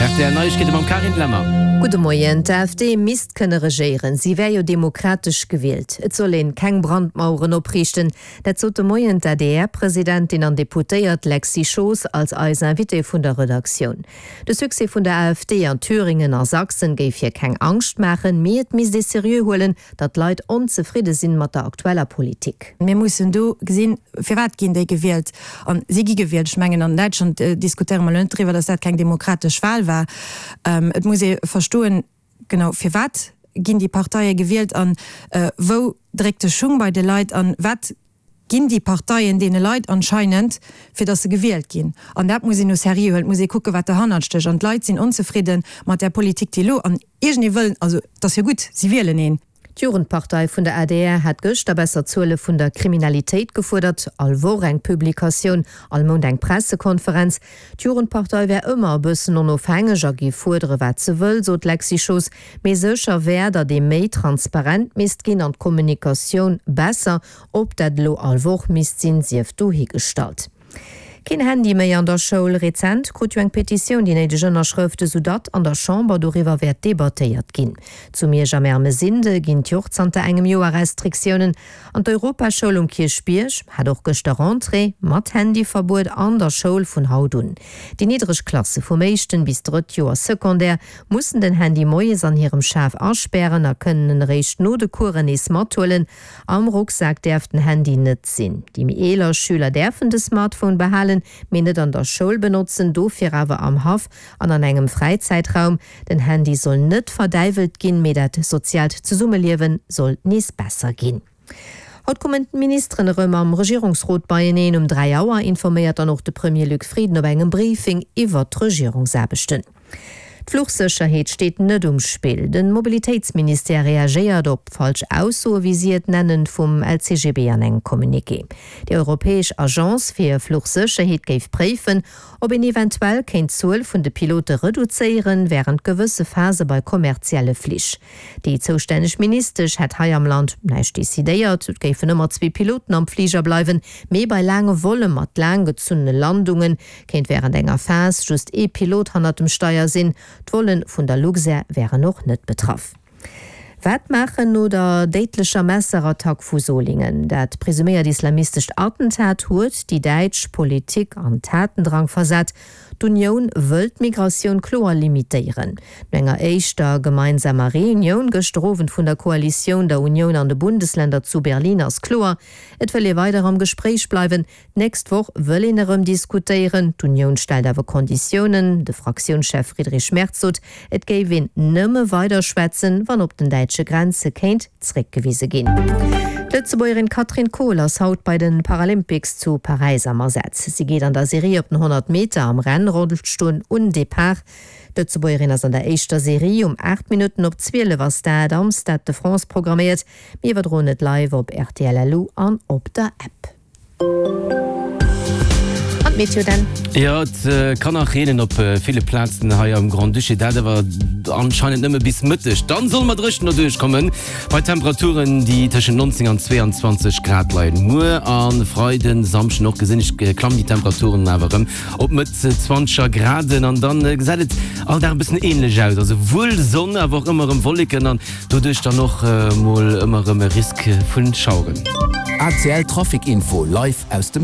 Rtl Neiegkeete mam Carine Lemmer. Gudde Moien. D'AfD misst kënne regéieren, si wär jo demokratesch gewielt. Et soll een keng Brandmaueren opriichten. Dat sot de Moien d'ADR-Presidentin an Deputéiert Lexy Schoos als eis Invitée vun der Redaktioun. De Succès vun der AfD an Thüringen a Sachsen géif hir keng Angscht maachen, mee et misst ee seriö huelen, datt d'Leit onzefridde sinn mat der aktueller Politik. Mir mussen do gesinn, firwat ginn déi gewielt? A si gi gewielt. Ech mengen, an Däitschland diskutéiere mer elo net driwwer, datt dat keng demokratesch Wahl war. Et muss ee verstoen, genau, firwat ginn déi Parteie gewielt a wou dréckt de Schung bei de Leit a wat ginn déi Parteien deene Leit anscheinend, fir datt se gewielt ginn. An dat muss een au sérieux huelen. Et muss ee kucken, wat derhannert stécht. An d'Leit sinn onzefridde mat där Politik, déi elo, an iergendee wëll, also et ass jo gutt, si wielen een. D'Jugendpartei vun der adr hat gëschter besser Zuele vun der Kriminalitéit gefuerdert. All Woch eng Publikatioun, all Mount eng Pressekonferenz. D'Jugendpartei wär ëmmer e bëssen onofhängeg a géif fuerdere wat se wëll, sot d'Lexy Schoos. Mee sécher wär, datt ee méi transparent misst ginn an d'Kommunikatioun besser. Ob dat elo all Woch misst sinn, sief dohigestallt. Keen Handy méi an der Schoul? Rezent krut jo eng Petitioun déi néideg Ënnerschrëfte, sou datt an der Chamber doriwwer wäert debattéiert ginn. Zu Miersch am Ermesinde ginn d'Joch zanter engem Joer Restriktiounen an d'Europaschoul um Kierchbierg hat och gëschter Rentrée mat Handyverbuet an der Schoul vun haut un. Déi niddreg Klasse vum éischten bis drëtt Joer Secondaire mussen den Handy moies an hirem Schaf aspären a kënnen en eréischt no de Coursen nees mathuelen. Am Rucksak däerf den Handy net sinn. Déi méi eeler Schüler däerfen de Smartphone behalen, mee net an der Schoul benotzen, dofir awer am Haff an an engem Fräizäitraum. Den Handy soll net verdäiwelt ginn, mee dat soziaalt Zesummeliewe soll nees besser ginn. Haut kommen d'Ministeren erëm am Regierungsrot beieneen. Um 3 Auer informéiert dann och de Premier Luc Frieden op engem Briefing iwwert d'Regierungsaarbechten. D'Fluchsécherheet steet net um Spill. De Mobilitéitsministère reagéiert op falsch Aussoe, wéi si et nennen, vum LCGB an engem Communiqué. Déi europäesch Agence fir Fluchsécherheet géif préifen, ob een eventuell kéint d'Zuel vun de Pilote reduzéieren, wärend gewësse Phase bei kommerzielle Flich. Déi zoustänneg Ministesch hätt hei am Land näischt decidéiert. Et géifen ëmmer zwee Piloten am Fliger bleiwen, mee bei laange Volle mat laanggezunnene Landungen Kéint wärend enger Phas just ee Pilot hannert dem Steier sinn. D'Volle vun der Luxair wären och net betraff. Wat maachen no der déidlecher Messerattack vu Solingen? Dat presuméiert islamistescht Attentat huet déi däitsch Politik an Tatendrang versat. D'Unioun wëll d'Migratioun kloer limitéieren. No enger éischter gemeinsamer Reunioun gëschter Owend vun der Koalitioun, der Unioun an de Bundesländer zu Berlin ass kloer, Et wëll ee weider am Gespréich bleiwen. D'nächst Woch wëll een erëm diskutéieren. D'Unioun stellt awer Konditiounen. De Fraktiounschef Friedrich Merz sot, et géif een nëmme weider schwätzen, wann op den däitsche Grenze kéint zréckgewise ginn. D'Lëtzebuergerin Katrin Kohl ass haut bei de Paralympics zu Paräis am Asaz. Si geet an der Serie op den 100 Meter am Rennrollstull un Depart. D'Lëtzebuergerin ass an der éischter Serie um 8 Minutten op 12 ass dat am Stade de France programméiert. Mir iwwerdroen et live op rtl LU an op der App. An d'Meteo dann? Jo, et kann nach reenen op ville Plazen hei am Grand-Duché, dat awer anscheinend nëmme bis Mëtteg. Dann solle mer dréchen derduerch kommen, bei Temperaturen, déi tëschent 19 an 22 Grad leien. Muer a Freiden, Samschden och gesinn ech, klammen déi Temperaturen awer erëm op Mëtt zwanzeger Graden an dann gesäit et all Dag e bëssen änlech aus, also wuel Sonn, awer och ëmmer erëm Wolleken an Doduerch dann och mol ëmmer erëm e Risk vun Schaueren. ACL Trafic Info live aus dem.